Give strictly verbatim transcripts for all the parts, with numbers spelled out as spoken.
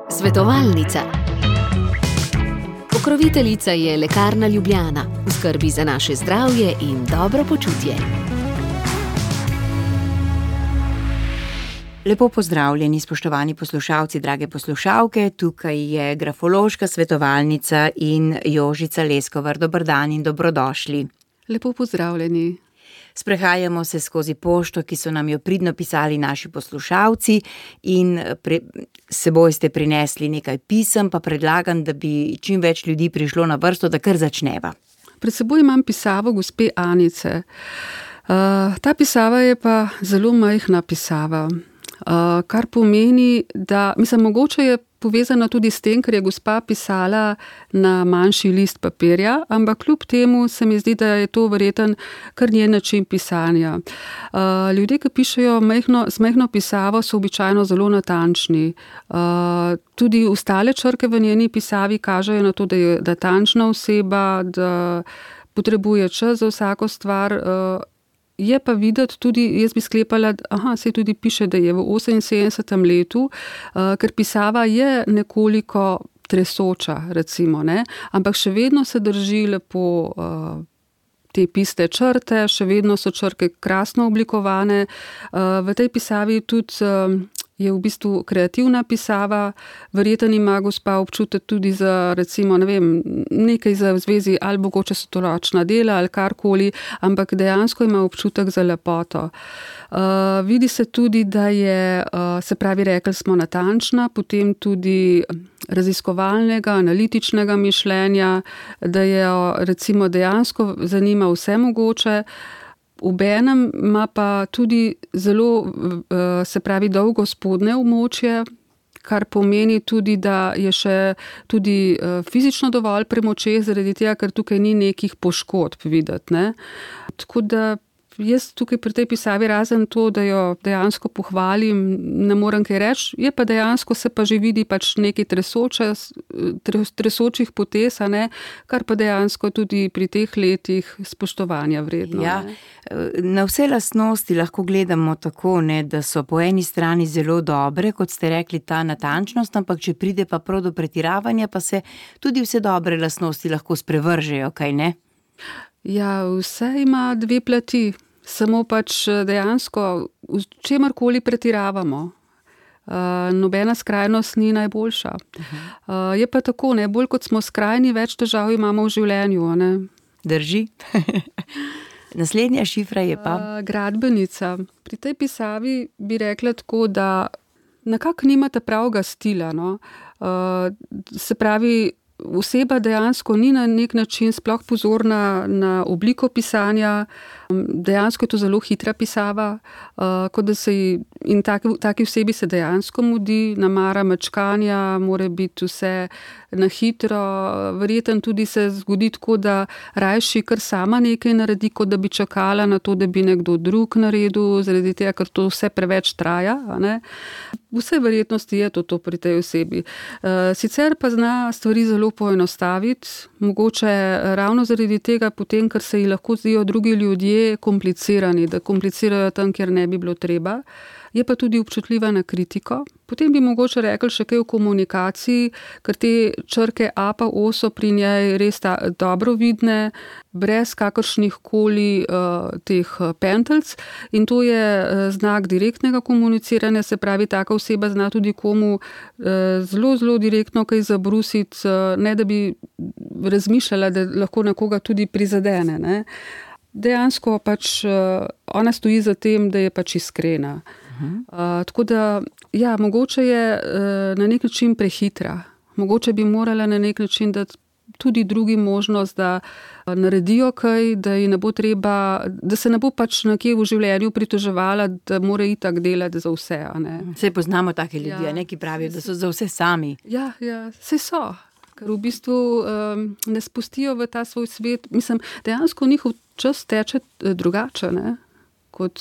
Svetovalnica. Pokroviteljica je Lekarna Ljubljana, v skrbi za naše zdravje in dobro počutje. Lepo pozdravljeni, spoštovani poslušalci, drage poslušalke. Tukaj je grafološka svetovalnica in Jožica Leskovar. Dober dan in dobrodošli. Lepo pozdravljeni. Sprehajamo se skozi pošto, ki so nam jo pridno pisali naši poslušalci, in pre, seboj ste prinesli nekaj pisem, pa predlagam, da bi čim več ljudi prišlo na vrsto, da kar začneva. Pred seboj imam pisavo gospe Anice. Uh, ta pisava je pa zelo majhna pisava, uh, kar pomeni, da, mislim, mogoče je povezana tudi s tem, ker je gospa pisala na manjši list papirja, ampak kljub temu se mi zdi, da je to verjeten kar njen način pisanja. Uh, ljudje, ki pišejo majhno, z majhno pisavo, so običajno zelo natančni. Uh, tudi ostale črke v njeni pisavi kažejo na to, da je natančna oseba, da potrebuje čas za vsako stvar. Uh, Je pa videti tudi, jaz bi sklepala, aha, se tudi piše, da je v oseminsedemdesetem letu, uh, ker pisava je nekoliko tresoča, recimo, ne, ampak še vedno se drži lepo uh, te pisne črte, še vedno so črke krasno oblikovane. Uh, v tej pisavi tudi uh, je v bistvu kreativna pisava, verjetno ima gospa občutek tudi za, recimo, ne vem, nekaj za v zvezi, ali mogoče so to ročna dela ali karkoli, ampak dejansko ima občutek za lepoto. Uh, vidi se tudi, da je, uh, se pravi, rekli smo, natančna, potem tudi raziskovalnega, analitičnega mišljenja, da je, recimo, dejansko zanima vse mogoče. Obenem ima pa tudi zelo, se pravi, dolgo spodnje območje, kar pomeni tudi, da je še tudi fizično dovolj premočeh, zaradi tega, ker tukaj ni nekih poškodb videti, ne. Tako da jaz tukaj pri tej pisavi, razen to, da jo dejansko pohvalim, ne morem kaj reči, je pa dejansko se pa že vidi pač nekaj tresoče, tresočih potez, a ne, kar pa dejansko tudi pri teh letih spoštovanja vredno. Ja, na vse lastnosti lahko gledamo tako, ne, da so po eni strani zelo dobre, kot ste rekli, ta natančnost, ampak če pride pa prav do pretiravanja, pa se tudi vse dobre lastnosti lahko sprevržejo, kaj ne? Ja, vse ima dve plati. Samo pač dejansko v čemarkoli pretiravamo. Uh, nobena skrajnost ni najboljša. Uh, je pa tako, ne, bolj kot smo skrajni, več težav imamo v življenju, ne. Drži. Naslednja šifra je pa? Uh, gradbenica. Pri tej pisavi bi rekla tako, da nekako nimate pravega stila, no. Uh, se pravi, oseba dejansko ni na nek način sploh pozorna na obliko pisanja, dejansko je to zelo hitra pisava, uh, kot da se in taki, taki osebi se dejansko mudi, namara mečkanja, mora biti vse na hitro, verjetno tudi se zgodi tako, da rajši kar sama nekaj naredi, kot da bi čakala na to, da bi nekdo drug naredil, zaradi tega, ker to vse preveč traja, a ne. Vse verjetnosti je to, to pri tej osebi. Uh, sicer pa zna stvari zelo poenostaviti, mogoče ravno zaradi tega potem, ker se ji lahko zdijo drugi ljudje komplicirani, da komplicirajo tam, kjer ne bi bilo treba. Je pa tudi občutljiva na kritiko. Potem bi mogoče rekli še kaj o komunikaciji, ker te črke A pa O so pri njej res ta, dobro vidne, brez kakršnih koli uh, teh pentelc, in to je uh, znak direktnega komuniciranja, se pravi, taka oseba zna tudi komu uh, zelo, zelo direktno kaj zabrusiti, uh, ne da bi razmišljala, da lahko nekoga tudi prizadene, ne. Dejansko pač uh, ona stoji za tem, da je pač iskrena. Uh, tako da, ja, mogoče je uh, na nek način prehitra. Mogoče bi morala na nek način dati tudi drugi možnost, da uh, naredijo kaj, da ji ne bo treba, da se ne bo pač nekje v življenju pritoževala, da mora itak delati za vse, a ne. Saj poznamo take ljudi, ja, neki pravijo, da so za vse sami. Ja, ja, saj so. Ker v bistvu um, ne spustijo v ta svoj svet. Mislim, dejansko njihov čas teče drugače, ne, kot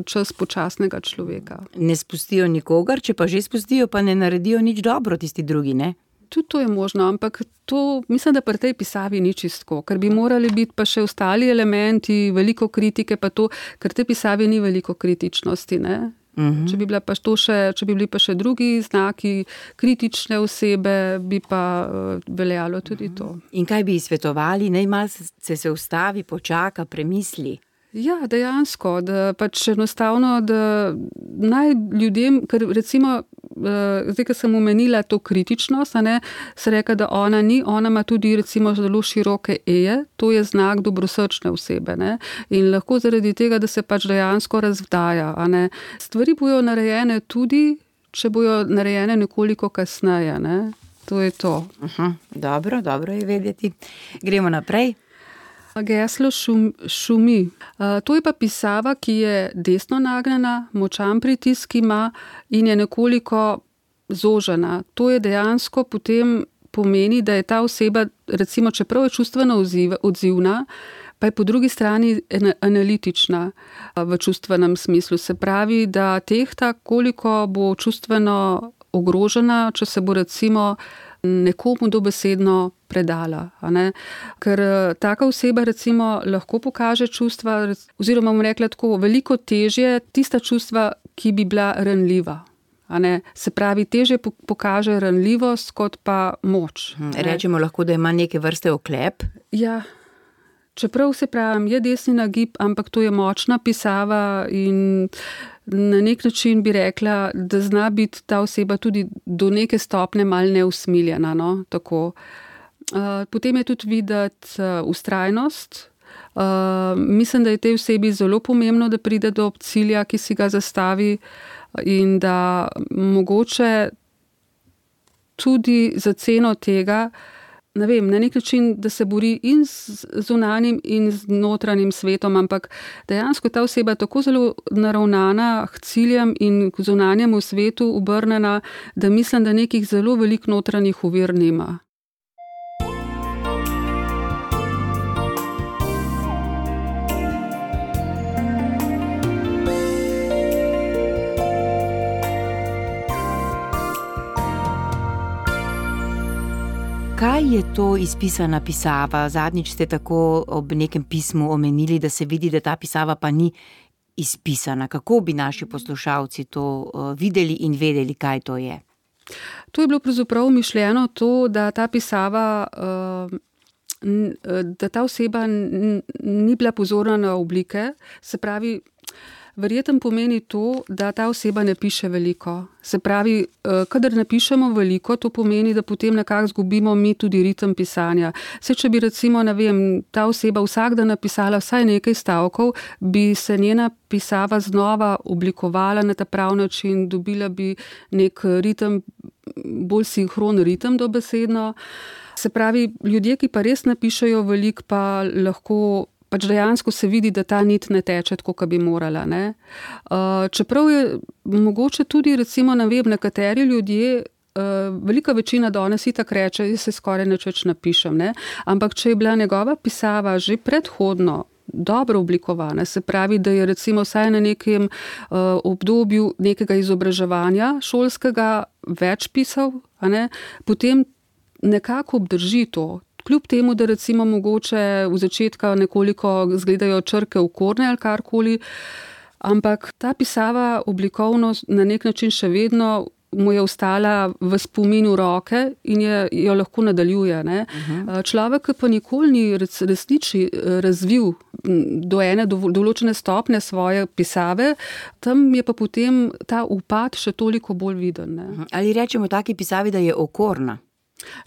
čas počasnega človeka. Ne spustijo nikogar, če pa že spustijo, pa ne naredijo nič dobro tisti drugi, ne? Tudi to je možno, ampak to, mislim, da pri tej pisavi ni čisto, ker bi morali biti pa še ostali elementi, veliko kritike, pa to, ker tej pisavi ni veliko kritičnosti, ne. Uh-huh. Če bi bila pa to še, če bi bili pa še drugi znaki kritične osebe, bi pa uh, veljalo tudi uh-huh. to. In kaj bi svetovali? Naj malo se, se ustavi, počaka, premisli. Ja, dejansko, da pač enostavno, da naj ljudem, ker recimo, zdaj, ko sem omenila to kritičnost, a ne, se reka, da ona ni, ona ima tudi recimo zelo široke eje, to je znak dobrosrčne osebe, ne, in lahko zaradi tega, da se pač dejansko razvdaja, a ne. Stvari bojo narejene tudi, če bojo narejene nekoliko kasneje, ne, to je to. Aha, dobro, dobro je vedeti. Gremo naprej. Geslo šum, šumi. Uh, to je pa pisava, ki je desno nagnjena, močan pritisk ima in je nekoliko zožena. To je dejansko potem pomeni, da je ta oseba, recimo, čeprav je čustveno odziv, odzivna, pa je po drugi strani analitična v čustvenem smislu. Se pravi, da tehta, koliko bo čustveno ogrožena, če se bo recimo nekomu dobesedno predala. A ne? Ker taka oseba recimo lahko pokaže čustva, oziroma bom rekla tako, veliko težje tista čustva, ki bi bila ranljiva. A ne? Se pravi, težje pokaže ranljivost kot pa moč. Rečemo lahko, da ima neke vrste oklep. Ja, čeprav se pravim, je desni nagib, ampak to je močna pisava in na nek način bi rekla, da zna biti ta oseba tudi do neke stopne malo neusmiljena. No? Tako. Potem je tudi videti vztrajnost. Mislim, da je tej osebi zelo pomembno, da pride do cilja, ki si ga zastavi in da mogoče tudi za ceno tega, ne vem, na nek način, da se bori in z zunanjim in z notranjim svetom, ampak dejansko ta oseba tako zelo naravnana k ciljem in k zunanjemu svetu obrnjena, da mislim, da nekih zelo velik notranjih ovir nima. Kaj je to izpisana pisava? Zadnjič ste tako ob nekem pismu omenili, da se vidi, da ta pisava pa ni izpisana. Kako bi naši poslušalci to videli in vedeli, kaj to je? To je bilo pravzaprav mišljeno to, da ta pisava, da ta oseba ni bila pozorna na oblike, se pravi, verjetno pomeni to, da ta oseba ne piše veliko. Se pravi, kadar ne pišemo veliko, to pomeni, da potem nekako zgubimo mi tudi ritem pisanja. Saj, če bi recimo, ne vem, ta oseba vsak dan napisala vsaj nekaj stavkov, bi se njena pisava znova oblikovala na ta prav način, dobila bi nek ritem, bolj sinhron ritem dobesedno. Se pravi, ljudje, ki pa res napišejo veliko, pa lahko pač dejansko se vidi, da ta nit ne teče tako, kot bi morala. Ne? Uh, čeprav je mogoče tudi, recimo, ne vem, nekateri ljudje, uh, velika večina danes itak reče, jaz se skoraj nič več napišem, ne? Ampak če je bila njegova pisava že predhodno dobro oblikovana, se pravi, da je recimo vsaj na nekem uh, obdobju nekega izobraževanja šolskega več pisal, a ne? Potem nekako obdrži to. Kljub temu, da recimo mogoče v začetka nekoliko zgledajo črke okorne ali karkoli, ampak ta pisava oblikovno na nek način še vedno mu je ostala v spominu roke in je, jo lahko nadaljuje. Ne? Uh-huh. Človek pa nikoli ni resniči razvil do ene do, določene stopne svoje pisave, tam je pa potem ta upad še toliko bolj viden. Ne? Uh-huh. Ali rečemo taki pisavi, da je okorna?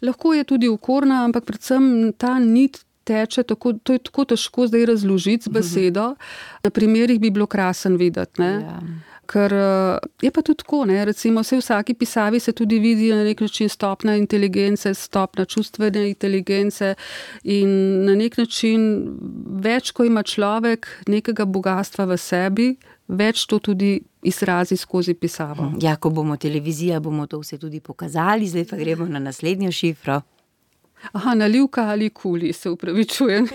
Lahko je tudi okorna, ampak predvsem ta nit teče, tako, to je tako težko zdaj razložiti z besedo. Na primerih bi bilo krasen videti, ne? Ja. Ker je pa tudi tako, ne? Recimo vse v vsaki pisavi se tudi vidi na nek način stopna inteligence, stopna čustvene inteligence in na nek način več, ko ima človek nekega bogatstva v sebi, več to tudi izrazi skozi pisavo. Ja, ko bomo televizija, bomo to vse tudi pokazali, zdaj pa gremo na naslednjo šifro. Aha, nalivka ali kuli, se upravičujem.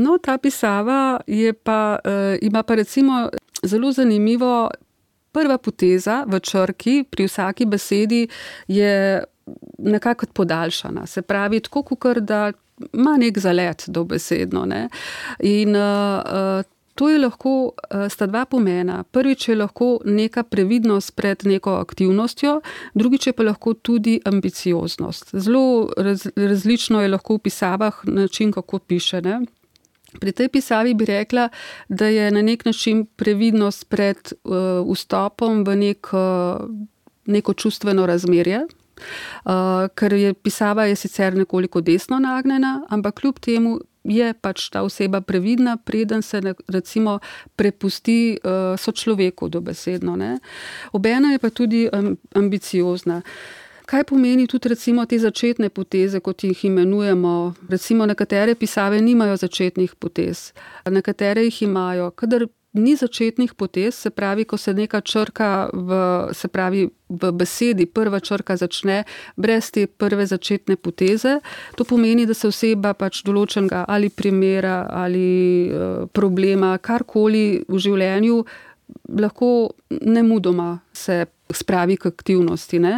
No, ta pisava je pa, uh, ima pa recimo zelo zanimivo, prva poteza v črki pri vsaki besedi je nekako podaljšana. Se pravi, tako kakor da ima nek zalet dobesedno. Ne? In uh, To je lahko, sta dva pomena. Prvič je lahko neka previdnost pred neko aktivnostjo, drugič je pa lahko tudi ambicioznost. Zelo raz, različno je lahko v pisavah način, kako piše, ne. Pri tej pisavi bi rekla, da je na nek način previdnost pred uh, vstopom v nek, uh, neko čustveno razmerje, uh, ker je pisava je sicer nekoliko desno nagnjena, ampak kljub temu je pač ta oseba previdna, preden se recimo prepusti uh, sočloveku dobesedno, ne. Obenem je pa tudi um, ambiciozna. Kaj pomeni tudi recimo te začetne poteze, kot jih imenujemo? Recimo nekatere pisave nimajo začetnih potez, nekatere jih imajo. Kadar ni začetnih potez, se pravi, ko se neka črka v, se pravi, v besedi prva črka začne brez te prve začetne poteze, to pomeni, da se oseba pač določenega ali primera ali uh, problema, karkoli v življenju lahko nemudoma se spravi k aktivnosti, ne.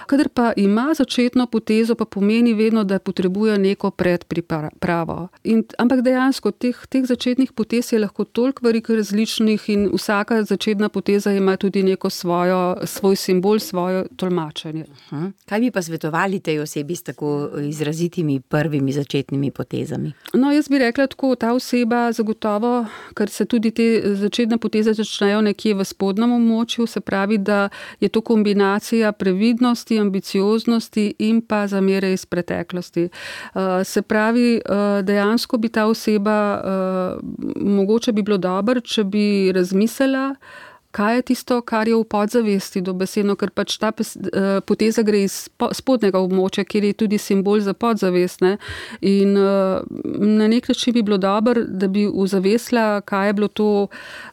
Kadar pa ima začetno potezo, pa pomeni vedno, da potrebuje neko predpripravo. In, ampak dejansko teh, teh začetnih potez je lahko toliko veliko različnih in vsaka začetna poteza ima tudi neko svojo, svoj simbol, svoje tolmačenje. Uh-huh. Kaj bi pa svetovali tej osebi s tako izrazitimi prvimi začetnimi potezami? No, jaz bi rekla tako, ta oseba zagotovo, ker se tudi te začetne poteze začnejo nekje v spodnjem območju, se pravi, da je to kombinacija previdnosti, ambicioznosti in pa zamere iz preteklosti. Se pravi, dejansko bi ta oseba, mogoče bi bilo dobro, če bi razmislila, kaj je tisto, kar je v podzavesti dobesedno, ker pač ta poteza gre iz spodnjega območja, kjer je tudi simbol za podzavest, ne. In na nek način bi bilo dobro, da bi uzavestila, kaj je bilo to,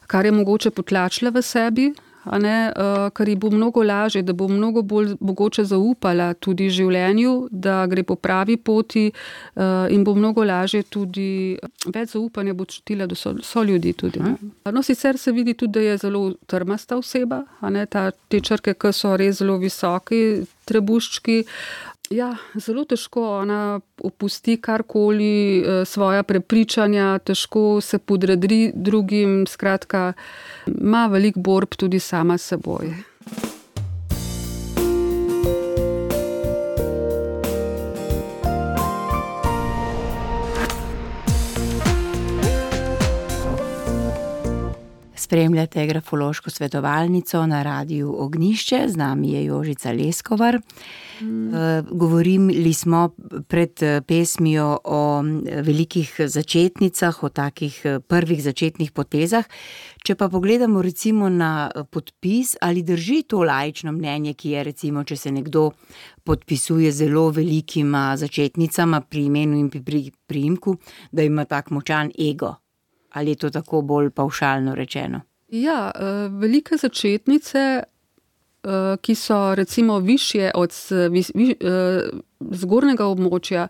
kar je mogoče potlačila v sebi, a ne, uh, ker ji bo mnogo lažje, da bo mnogo bolj mogoče zaupala tudi življenju, da gre po pravi poti uh, in bo mnogo lažje tudi, več zaupanja bo čutila do so, so ljudi tudi. Ne. No, sicer se vidi tudi, da je zelo trmasta oseba, a ne, ta, te črke, ki so res zelo visoki, trebuščki. Ja, zelo težko ona opusti karkoli, svoja prepričanja, težko se podredri drugim, skratka, ima veliko borb tudi sama s seboj. Spremljate grafološko svetovalnico na Radiu Ognjišče, z nami je Jožica Leskovar. Mm. Govorili smo pred pesmijo o velikih začetnicah, o takih prvih začetnih potezah. Če pa pogledamo recimo na podpis, ali drži to laično mnenje, ki je recimo, če se nekdo podpisuje zelo velikima začetnicama pri imenu in pri priimku, da ima tak močan ego? Ali je to tako bolj pavšalno rečeno? Ja, velike začetnice, ki so recimo višje od zgornjega območja,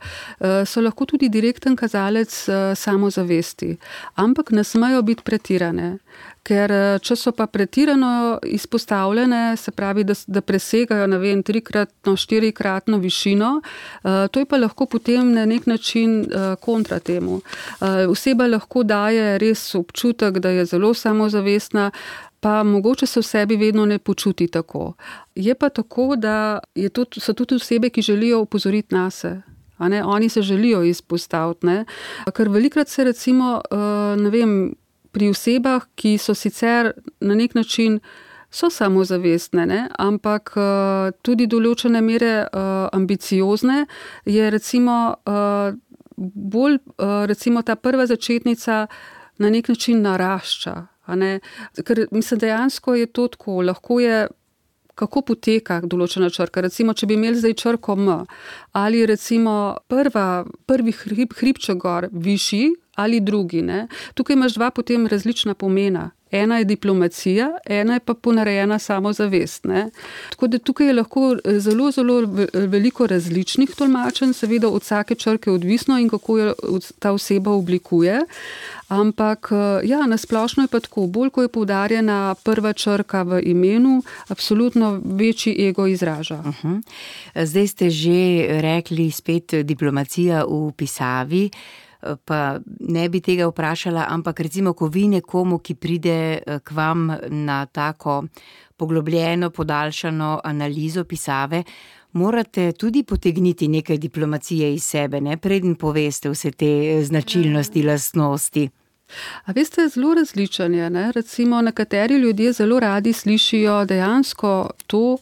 so lahko tudi direkten kazalec samozavesti, ampak ne smejo biti pretirane. Ker če so pa pretirano izpostavljene, se pravi, da, da presegajo, ne vem, trikratno, štirikratno višino, to je pa lahko potem na nek način kontra temu. Oseba lahko daje res občutek, da je zelo samozavestna, pa mogoče se v sebi vedno ne počuti tako. Je pa tako, da je to, so tudi osebe, ki želijo opozoriti nase. A ne? Oni se želijo izpostaviti, ne? Ker velikrat se recimo, ne vem, pri osebah, ki so sicer na nek način so samozavestne, ne? Ampak tudi določene mere ambiciozne, je recimo bolj, recimo ta prva začetnica na nek način narašča. A ne? Ker mislim, dejansko je to tako, lahko je, kako poteka določena črka. Recimo, če bi imeli zdaj črko M, ali recimo prva, prvi hrib, hribček gor višji ali drugi, ne? Tukaj imaš dva potem različna pomena. Ena je diplomacija, ena je pa ponarejena samozavest, ne? Tako da tukaj je lahko zelo, zelo veliko različnih tolmačenj, seveda od vsake črke odvisno in kako jo ta oseba oblikuje. Ampak ja, nasplošno je pa tako, bolj ko je poudarjena prva črka v imenu, absolutno večji ego izraža. Uh-huh. Zdaj ste že rekli spet diplomacija v pisavi. pa ne bi tega vprašala, ampak recimo, ko vi nekomu, ki pride k vam na tako poglobljeno, podaljšano analizo pisave, morate tudi potegniti nekaj diplomacije iz sebe, ne, preden poveste vse te značilnosti, lastnosti. A veste, zelo različen je, ne, recimo nekateri ljudje zelo radi slišijo dejansko to,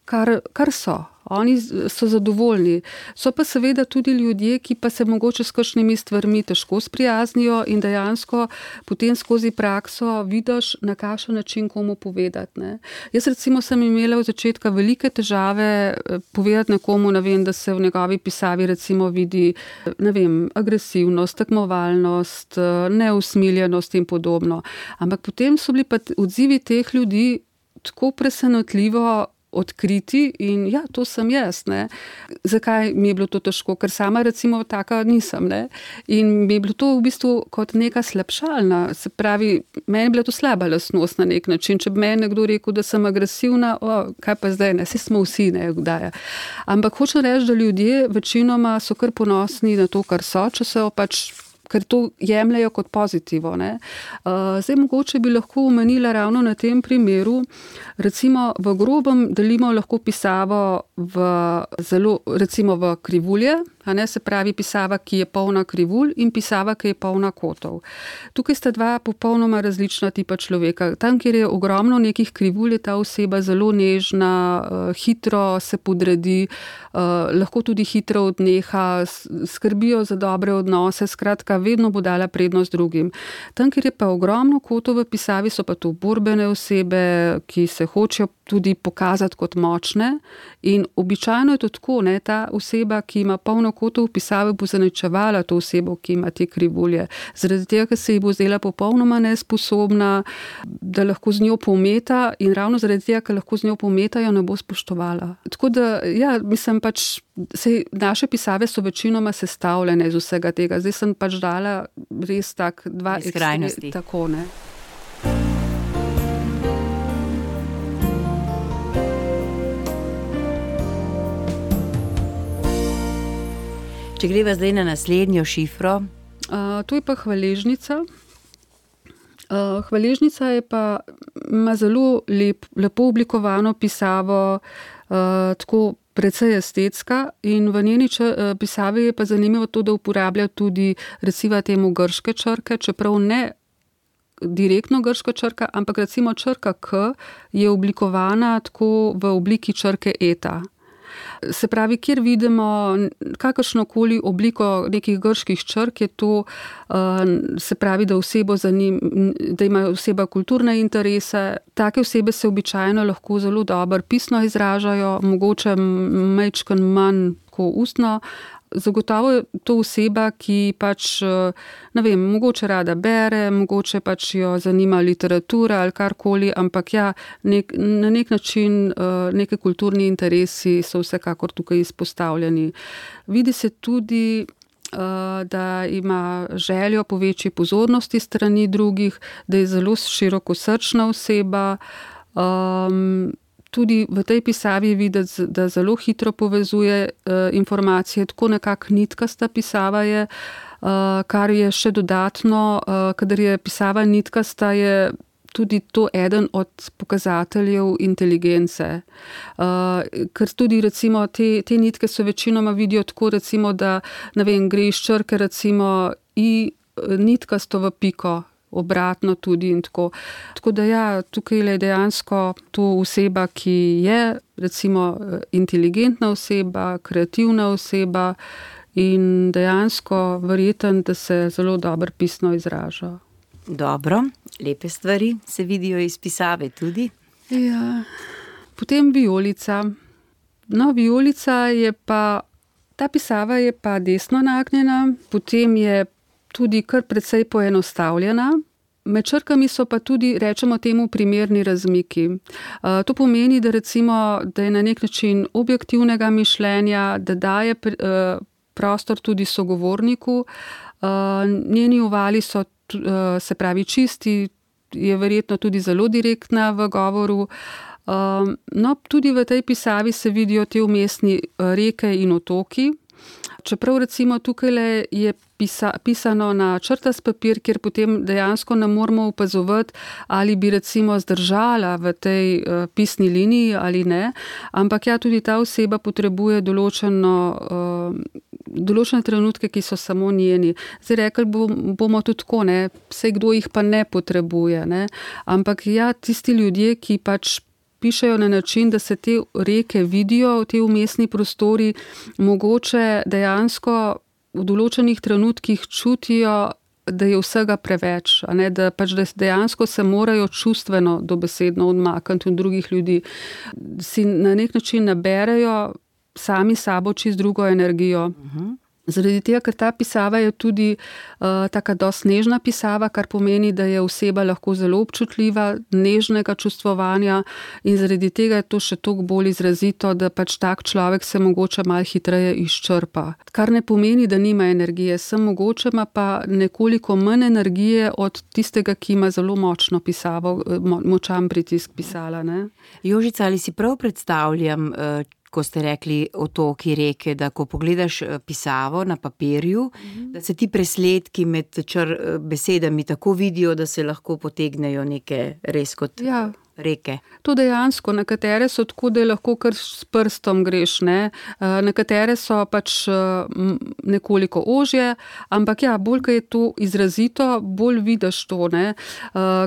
kar, kar so. Oni so zadovoljni. So pa seveda tudi ljudje, ki pa se mogoče s kakšnimi stvarmi težko sprijaznijo in dejansko potem skozi prakso vidiš, na kakšen način komu povedati, ne. Jaz recimo sem imela v začetka velike težave povedati nekomu, ne vem, da se v njegovi pisavi recimo vidi, ne vem, agresivnost, tekmovalnost, neusmiljenost in podobno. Ampak potem so bili pa odzivi teh ljudi tako presenetljivo odkriti in ja, to sem jaz, ne. Zakaj mi je bilo to težko? Ker sama recimo taka nisem, ne. In mi je bilo to v bistvu kot neka slabšalna, se pravi, meni je bila to slaba lastnost na nek način. Če bi meni nekdo rekel, da sem agresivna, o, kaj pa zdaj, ne, saj smo vsi, ne, kdaj. Ampak hočem reči, da ljudje večinoma so kar ponosni na to, kar so, če so pač, ker to jemljajo kot pozitivo, ne. Uh, zdaj mogoče bi lahko omenila ravno na tem primeru, recimo v grobem delimo lahko pisavo v zelo, recimo v krivulje, a ne, se pravi pisava, ki je polna krivulj in pisava, ki je polna kotov. Tukaj sta dva popolnoma različna tipa človeka. Tam, kjer je ogromno nekih krivulj, je ta oseba zelo nežna, hitro se podredi, lahko tudi hitro odneha, skrbijo za dobre odnose, skratka, vedno bo dala prednost drugim. Tam, kjer je pa ogromno kotov v pisavi, so pa to borbene osebe, ki se hočejo tudi pokazati kot močne in običajno je to tako, ne, ta oseba, ki ima polno kotov v pisavi, bo zaničevala to osebo, ki ima te krivulje. Zaradi tega, ker se ji bo zdela popolnoma nesposobna, da lahko z njo pometa in ravno zaradi tega, ker lahko z njo pometa, jo ne bo spoštovala. Tako da, ja, mislim pač, sej naše pisave so večinoma sestavljene iz vsega tega. Zdaj sem pač dala res tak dva skrajnosti. Tako, ne. Če greva zdaj na naslednjo šifro. Uh, to je pa hvaležnica. Uh, hvaležnica je pa, ima zelo lep, lepo oblikovano pisavo, uh, tako precej estetska in v njeni č- pisavi je pa zanimivo to, da uporablja tudi recimo temu grške črke, čeprav ne direktno grška črka, ampak recimo črka K je oblikovana tako v obliki črke eta. Se pravi, kjer vidimo kakršnokoli obliko nekih grških črk, je to, se pravi, da osebo zanim, da ima oseba kulturne interese. Take osebe se običajno lahko zelo dobro pisno izražajo, mogoče majčken manj ko ustno. Zagotovo je to oseba, ki pač, ne vem, mogoče rada bere, mogoče pač jo zanima literatura ali karkoli, ampak ja, nek, na nek način neke kulturni interesi so vsekakor tukaj izpostavljeni. Vidi se tudi, da ima željo po večji pozornosti strani drugih, da je zelo širokosrčna oseba, um, tudi v tej pisavi je videti, da zelo hitro povezuje uh, informacije, tako nekako nitkasta pisava je, uh, kar je še dodatno, uh, kadar je pisava nitkasta, je tudi to eden od pokazateljev inteligence. Uh, ker tudi recimo te, te nitke so večinoma vidijo tako, recimo, da ne vem, gre iz črke recimo i nitkasto v piko, obratno tudi in tako. Tako da ja, tukaj je dejansko to oseba, ki je recimo inteligentna oseba, kreativna oseba in dejansko verjeten, da se zelo dobro pisno izraža. Dobro, lepe stvari se vidijo iz pisave tudi. Ja, potem vijolica. No, vijolica je pa, ta pisava je pa desno nagnjena, potem je tudi kar precej poenostavljena. Med črkami so pa tudi, rečemo temu, primerni razmiki. Uh, to pomeni, da recimo, da je na nek način objektivnega mišljenja, da daje uh, prostor tudi sogovorniku. Uh, njeni uvali so, uh, se pravi, čisti, je verjetno tudi zelo direktna v govoru. Uh, no, tudi v tej pisavi se vidijo te vmesni reke in otoki. čeprav recimo tukaj je pisa, pisano na črtast papir, kjer potem dejansko ne moramo opazovati, ali bi recimo zdržala v tej uh, pisni liniji ali ne, ampak ja, tudi ta oseba potrebuje določeno, uh, določene trenutke, ki so samo njeni. Zdaj rekli bomo tudi tako, ne, vse kdo jih pa ne potrebuje, ne, ampak ja, tisti ljudje, ki pač pišejo na način, da se te reke vidijo v te umestni prostori, mogoče dejansko v določenih trenutkih čutijo, da je vsega preveč, a ne, da pač dejansko se morajo čustveno dobesedno odmakniti od drugih ljudi. Si na nek način naberejo sami sabo čist drugo energijo. Uh-huh. Zaradi tega, ker ta pisava je tudi uh, taka dosti nežna pisava, kar pomeni, da je oseba lahko zelo občutljiva, nežnega čustvovanja in zaradi tega je to še toliko bolj izrazito, da pač tak človek se mogoče malo hitreje izčrpa. Kar ne pomeni, da nima energije, sem mogoče ima pa nekoliko manj energije od tistega, ki ima zelo močno pisavo, mo- močan pritisk pisala. Ne? Jožica, ali si prav predstavljam, uh, ko ste rekli otoki, reke, da ko pogledaš pisavo na papirju, mm-hmm. da se ti presledki med čr besedami tako vidijo, da se lahko potegnejo neke res kot ja. Reke. To dejansko, nekatere so tako, da lahko kar s prstom greš, ne? Nekatere so pač nekoliko ožje, ampak ja, bolj, ko je to izrazito, bolj vidiš to, ne?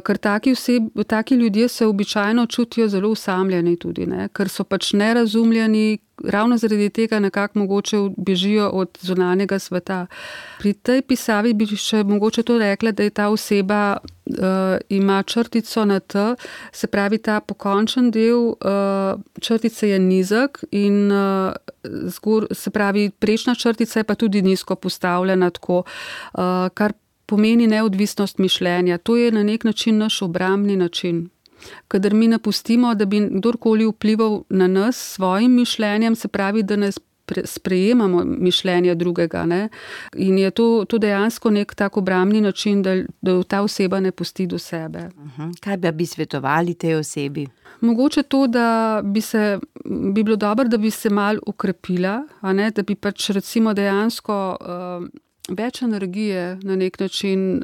Ker taki, oseb, taki ljudje se običajno čutijo zelo osamljeni tudi, ne? Ker so pač nerazumljeni, ravno zaradi tega nekako mogoče bežijo od zunanjega sveta. Pri tej pisavi bi še mogoče to rekla, da je ta oseba uh, ima črtico na T, se pravi ta pokončen del uh, črtice je nizek in uh, zgor, se pravi prečna črtica je pa tudi nizko postavljena tako, uh, kar pomeni neodvisnost mišljenja. To je na nek način naš obrambni način. Kadar mi napustimo, da bi kdorkoli vplival na nas s svojim mišljenjem, se pravi, da ne sprejemamo mišljenja drugega. Ne? In je to, to dejansko nek tak obrambni način, da, da ta oseba ne pusti do sebe. Uh-huh. Kaj bi svetovali tej osebi? Mogoče to, da bi, se, bi bilo dobro, da bi se mal ukrepila, a ne? Da bi pač recimo dejansko uh, več energije na nek način.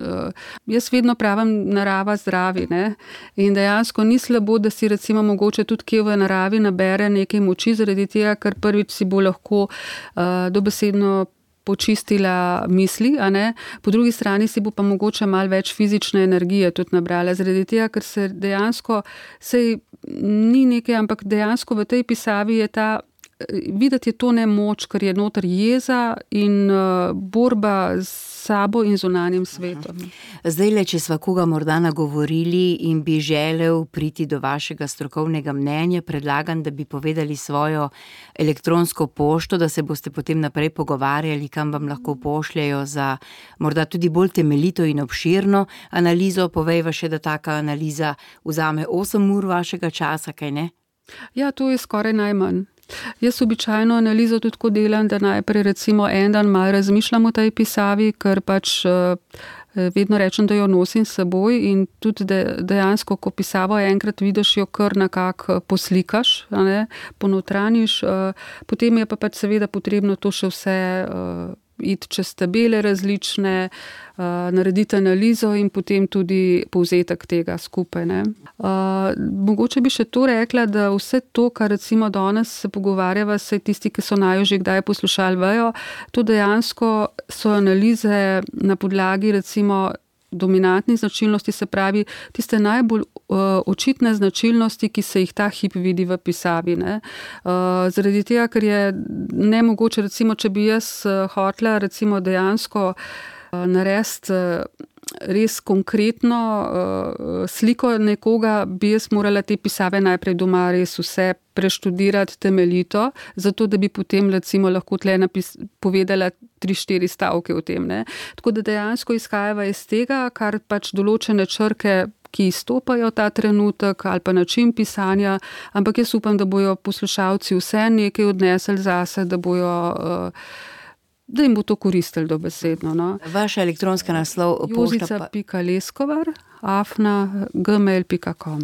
Jaz vedno pravim narava zdravi, ne? In dejansko ni slabo, da si recimo mogoče tudi kje v naravi nabere nekaj moči, zaradi tega, ker prvič si bo lahko uh, dobesedno počistila misli, a ne? Po drugi strani si bo pa mogoče malo več fizične energije tudi nabrala, zaradi tega, ker se dejansko, sej ni nekaj, ampak dejansko v tej pisavi je ta videti je to nemoč, ker je noter jeza in uh, borba s sabo in zunanjim svetom. Zdaj le, če sva koga morda nagovorili in bi želel priti do vašega strokovnega mnenja, predlagam, da bi povedali svojo elektronsko pošto, da se boste potem naprej pogovarjali, kam vam lahko pošljajo za morda tudi bolj temeljito in obširno analizo. Povejva še, da taka analiza vzame osem ur vašega časa, kaj ne? Ja, to je skoraj najmanj. Jaz običajno analizo tudi tako delam, da najprej recimo en dan malo razmišljam o tej pisavi, ker pač vedno rečem, da jo nosim s seboj in tudi dejansko, ko pisavo enkrat vidiš, jo kar nekako poslikaš, a ne, ponotraniš, potem je pa pač seveda potrebno to še vse iti čez tabele različne, uh, narediti analizo in potem tudi povzetek tega skupaj. Ne. Uh, mogoče bi še to rekla, da vse to, kar recimo danes se pogovarjava, se tisti, ki so najo že kdaj poslušali, vejo, to dejansko so analize na podlagi recimo dominantnih značilnosti, se pravi tiste najbolj uh, očitne značilnosti, ki se jih ta hip vidi v pisavi. Ne. Uh, zaradi tega, ker je nemogoče, recimo, če bi jaz uh, hotela recimo dejansko uh, narediti uh, res konkretno uh, sliko nekoga, bi jaz morala te pisave najprej doma res vse preštudirati temeljito, zato da bi potem recimo lahko tle napis, povedala tri, štiri stavke o tem. Ne. Tako da dejansko izhajava iz tega, kar pač določene črke, ki izstopajo ta trenutek ali pa način pisanja, ampak jaz upam, da bojo poslušalci vse nekaj odnesli zase, da bojo uh, da jim bo to koristilo dobesedno. No. Vaša elektronska naslov jozica pika leskovar afna gmail pika com.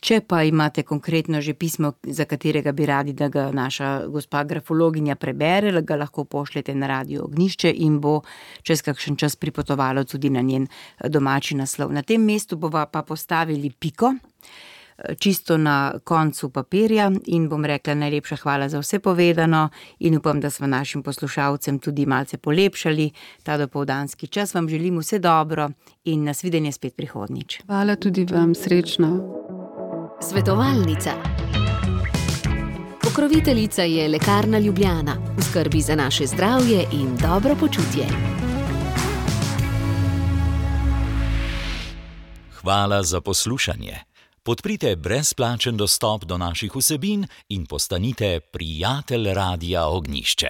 Če pa imate konkretno že pismo, za katerega bi radi, da ga naša gospa grafologinja prebere, ga lahko pošljete na Radio Ognjišče in bo čez kakšen čas pripotovalo tudi na njen domači naslov. Na tem mestu bova pa postavili piko, čisto na koncu papirja, in bom rekla najlepša hvala za vse povedano in upam, da smo našim poslušalcem tudi malce polepšali ta dopoldanski čas. Vam želim vse dobro in nasvidenje spet prihodnjič. Hvala tudi vam, srečno. Svetovalnica. Pokroviteljica je Lekarna Ljubljana, v skrbi za naše zdravje in dobro počutje. Hvala za poslušanje. Podprite brezplačen dostop do naših vsebin in postanite prijatelj Radia Ognjišče.